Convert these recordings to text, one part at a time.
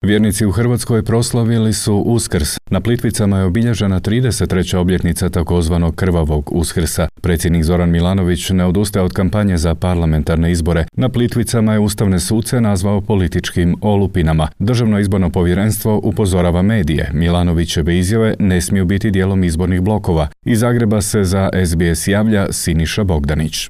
Vjernici u Hrvatskoj proslavili su Uskrs. Na Plitvicama je obilježena 33. obljetnica takozvanog krvavog Uskrsa. Predsjednik Zoran Milanović ne odustaje od kampanje za parlamentarne izbore. Na Plitvicama je ustavne suce nazvao političkim olupinama. Državno izborno povjerenstvo upozorava medije. Milanovićeve izjave ne smiju biti dijelom izbornih blokova. Iz Zagreba se za SBS javlja Siniša Bogdanić.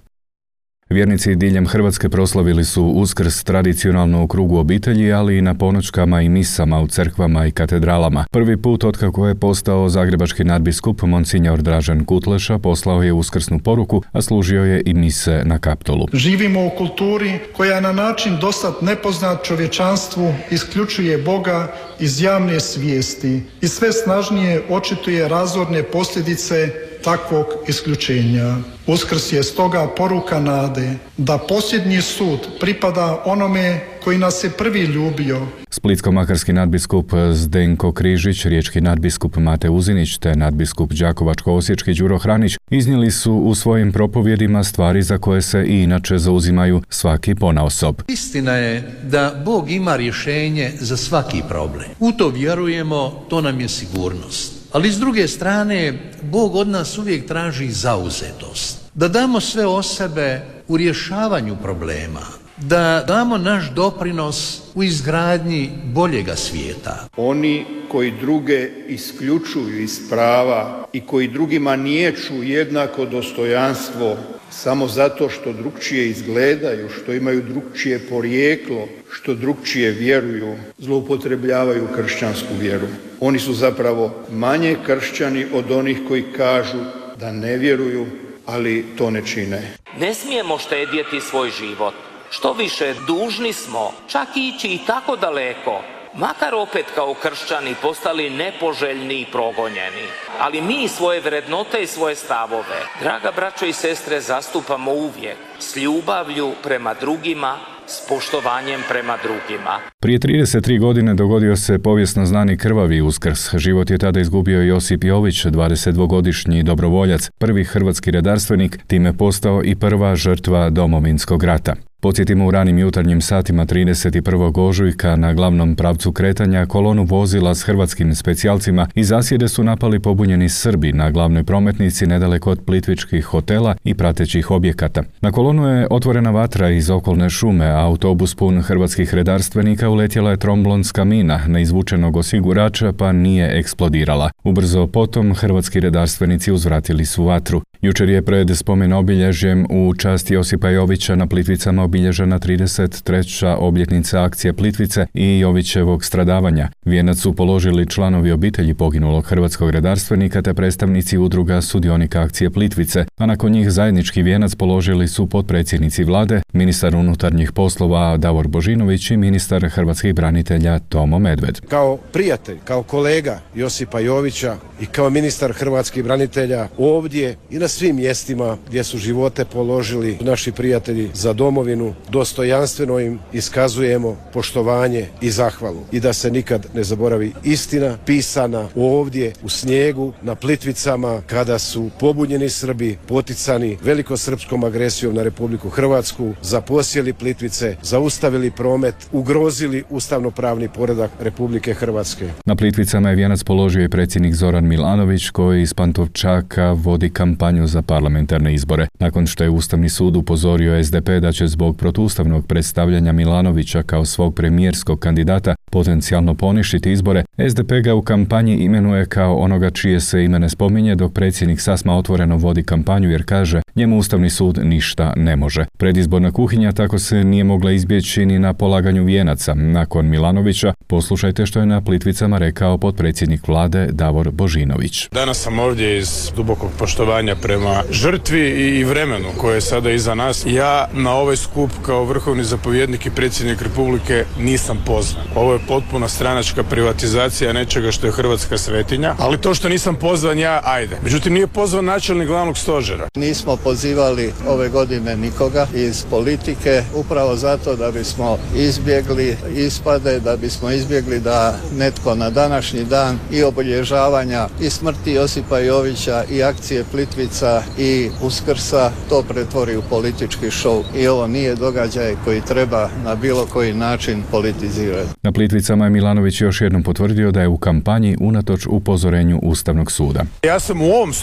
Vjernici diljem Hrvatske proslavili su Uskrs tradicionalno u krugu obitelji, ali i na ponoćkama i misama u crkvama i katedralama. Prvi put otkako je postao zagrebački nadbiskup, Monsinjor Dražen Kutleša poslao je uskrsnu poruku, a služio je i mise na Kaptolu. Živimo u kulturi koja na način dosad nepoznat čovječanstvu isključuje Boga iz javne svijesti i sve snažnije očituje razorne posljedice takvog isključenja. Uskrs je stoga poruka nade da posljednji sud pripada onome koji nas je prvi ljubio. Splitsko-makarski nadbiskup Zdenko Križić, riječki nadbiskup Mate Uzinić te nadbiskup Đakovačko-osječki Đuro Hranić iznijeli su u svojim propovjedima stvari za koje se i inače zauzimaju svaki ponaosob. Istina je da Bog ima rješenje za svaki problem. U to vjerujemo, to nam je sigurnost. Ali s druge strane, Bog od nas uvijek traži zauzetost. Da damo sve o sebe u rješavanju problema. Da damo naš doprinos u izgradnji boljega svijeta. Oni koji druge isključuju iz prava i koji drugima niječu jednako dostojanstvo samo zato što drukčije izgledaju, što imaju drukčije porijeklo, što drukčije vjeruju, zloupotrebljavaju kršćansku vjeru. Oni su zapravo manje kršćani od onih koji kažu da ne vjeruju, ali to ne čine. Ne smijemo štedjeti svoj život. Što više, dužni smo čak ići i tako daleko, makar opet kao kršćani postali nepoželjni i progonjeni. Ali mi svoje vrednote i svoje stavove, draga braćo i sestre, zastupamo uvijek s ljubavlju prema drugima, s poštovanjem prema drugima. Prije 33 godine dogodio se povijesno znani krvavi Uskrs. Život je tada izgubio Josip Jović, 22-godišnji dobrovoljac, prvi hrvatski redarstvenik, time postao i prva žrtva Domovinskog rata. Podsjetimo, u ranim jutarnjim satima 31. ožujka na glavnom pravcu kretanja kolonu vozila s hrvatskim specijalcima iz zasjede su napali pobunjeni Srbi na glavnoj prometnici nedaleko od plitvičkih hotela i pratećih objekata. Na kolonu je otvorena vatra iz okolne šume, a autobus pun hrvatskih redarstvenika uletjela je tromblonska mina na izvučenog osigurača pa nije eksplodirala. Ubrzo potom hrvatski redarstvenici uzvratili su vatru. Jučer je pred spomen obilježjem u čast Josipa Jovića na Plitvicama obilježena 33. obljetnica akcije Plitvice i Jovićevog stradavanja. Vijenac su položili članovi obitelji poginulog hrvatskog redarstvenika te predstavnici udruga sudionika akcije Plitvice, a nakon njih zajednički vijenac položili su potpredsjednici vlade, ministar unutarnjih poslova Davor Božinović i ministar hrvatskih branitelja Tomo Medved. Kao prijatelj, kao kolega Josipa Jovića i kao ministar hrvatskih branitelja ovdje i na svim mjestima gdje su živote položili naši prijatelji za domovinu, dostojanstveno im iskazujemo poštovanje i zahvalu. I da se nikad ne zaboravi istina pisana ovdje u snijegu na Plitvicama kada su pobunjeni Srbi poticani velikosrpskom agresijom na Republiku Hrvatsku zaposjeli Plitvice, zaustavili promet, ugrozili ustavnopravni poredak Republike Hrvatske. Na Plitvicama je vijenac položio i predsjednik Zoran Milanović koji iz Pantovčaka vodi kampanju za parlamentarne izbore. Nakon što je Ustavni sud upozorio SDP da će zbog protuustavnog predstavljanja Milanovića kao svog premijerskog kandidata potencijalno poništiti izbore, SDP ga u kampanji imenuje kao onoga čije se ime ne spominje, dok predsjednik sasma otvoreno vodi kampanju jer kaže njemu Ustavni sud ništa ne može. Predizborna kuhinja tako se nije mogla izbjeći ni na polaganju vijenaca. Nakon Milanovića poslušajte što je na Plitvicama rekao potpredsjednik vlade Davor Božinović. Danas sam ovdje iz dubokog poštovanja prema žrtvi i vremenu koje je sada iza nas. Ja na ovaj skup kao vrhovni zapovjednik i predsjednik Republike nisam pozvan. Ovo je potpuna stranačka privatizacija nečega što je hrvatska svetinja, ali to što nisam pozvan ja, ajde. Međutim, nije pozvan načelnik glavnog stožera. Nismo pozivali ove godine nikoga iz politike, upravo zato da bismo izbjegli ispade, da bismo izbjegli da netko na današnji dan i obilježavanja i smrti Josipa Jovića i akcije Plitvice Božića i Uskrsa to pretvori u politički šou. I ovo nije događaj koji treba na bilo koji način politizirati. Na Plitvicama je Milanović još jednom potvrdio da je u kampanji unatoč upozorenju Ustavnog suda. Ja sam u ovom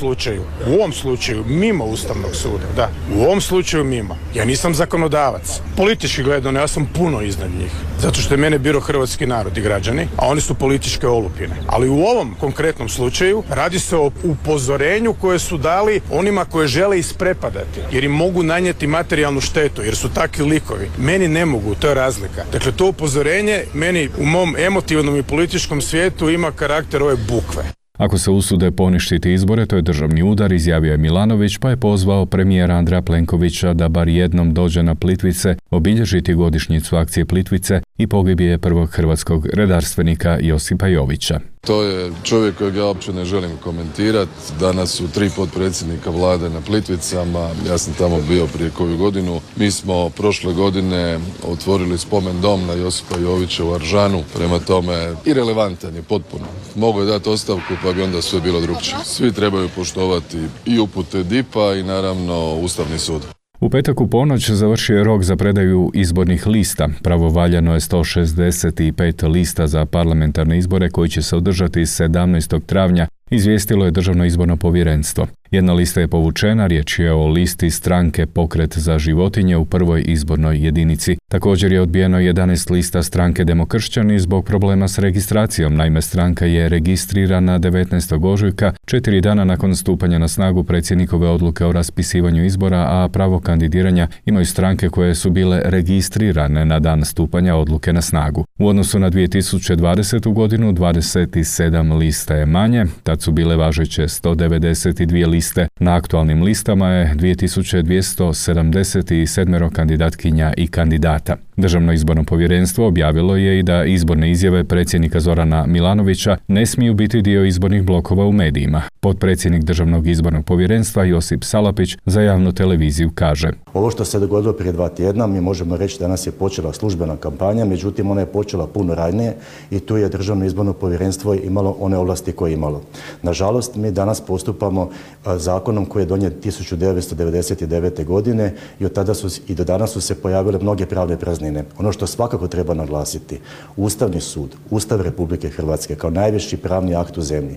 slučaju mimo Ustavnog suda, da, u ovom slučaju mimo. Ja nisam zakonodavac. Politički gledano, ja sam puno iznad njih. Zato što je mene birao hrvatski narod i građani, a oni su političke olupine. Ali u ovom konkretnom slučaju radi se o upozorenju koje su dali onima koje žele isprepadati, jer im mogu nanijeti materijalnu štetu, jer su takvi likovi. Meni ne mogu, to je razlika. Dakle, to upozorenje meni u mom emotivnom i političkom svijetu ima karakter ove bukve. Ako se usude poništiti izbore, to je državni udar, izjavio je Milanović, pa je pozvao premijera Andreja Plenkovića da bar jednom dođe na Plitvice, obilježiti godišnjicu akcije Plitvice i pogibije prvog hrvatskog redarstvenika Josipa Jovića. To je čovjek kojeg ja uopće ne želim komentirati. Danas su 3 potpredsjednika vlade na Plitvicama, ja sam tamo bio prije koju godinu. Mi smo prošle godine otvorili spomen dom na Josipa Jovića u Aržanu, prema tome irelevantan je potpuno. Mogu je dati ostavku pa bi onda sve bilo drukčije. Svi trebaju poštovati i upute DIP-a i naravno Ustavni sud. U petak u ponoć završio je rok za predaju izbornih lista. Pravovaljano je 165 lista za parlamentarne izbore koji će se održati 17. travnja, izvijestilo je Državno izborno povjerenstvo. Jedna lista je povučena, riječ je o listi stranke Pokret za životinje u prvoj izbornoj jedinici. Također je odbijeno 11 lista stranke Demokršćani zbog problema s registracijom. Naime, stranka je registrirana 19. ožujka, 4 dana nakon stupanja na snagu predsjednikove odluke o raspisivanju izbora, a pravo kandidiranja imaju stranke koje su bile registrirane na dan stupanja odluke na snagu. U odnosu na 2020. godinu 27 lista je manje, tad su bile važeće 192 liste. Na aktualnim listama je 2277 kandidatkinja i kandidata. Državno izborno povjerenstvo objavilo je i da izborne izjave predsjednika Zorana Milanovića ne smiju biti dio izbornih blokova u medijima. Potpredsjednik Državnog izbornog povjerenstva Josip Salapić za javnu televiziju kaže: Ovo što se dogodilo prije 2 tjedna, mi možemo reći da danas je počela službena kampanja, međutim ona je počela puno ranije i tu je Državno izborno povjerenstvo imalo one ovlasti koje je imalo. Nažalost, mi danas postupamo zakonom koji je donijet 1999. godine i od tada i do danas su se pojavile mnoge pravne praznine. Ono što svakako treba naglasiti, Ustavni sud, Ustav Republike Hrvatske kao najviši pravni akt u zemlji,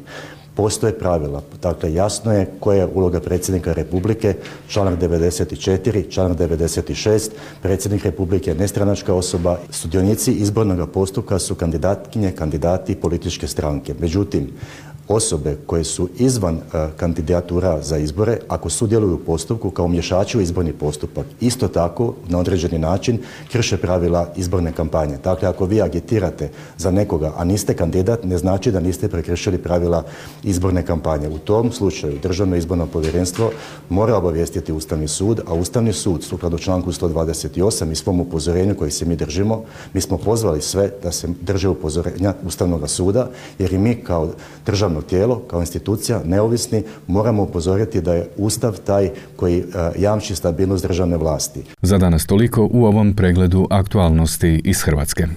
postoje pravila. Dakle, jasno je koja je uloga predsjednika Republike, članak 94, članak 96, predsjednik Republike je nestranačka osoba, sudionici izbornog postupka su kandidatkinje, kandidati i političke stranke. Međutim, osobe koje su izvan kandidatura za izbore, ako sudjeluju u postupku kao umješači u izborni postupak, isto tako na određeni način krše pravila izborne kampanje. Dakle, ako vi agitirate za nekoga, a niste kandidat, ne znači da niste prekršili pravila izborne kampanje. U tom slučaju Državno izborno povjerenstvo mora obavijestiti Ustavni sud, a Ustavni sud sukladno članku 128 i svom upozorenju koji se mi držimo, mi smo pozvali sve da se drže upozorenja Ustavnog suda, jer i mi kao državno tijelo, kao institucija, neovisni, moramo upozoriti da je Ustav taj koji jamči stabilnost državne vlasti. Za danas toliko u ovom pregledu aktualnosti iz Hrvatske.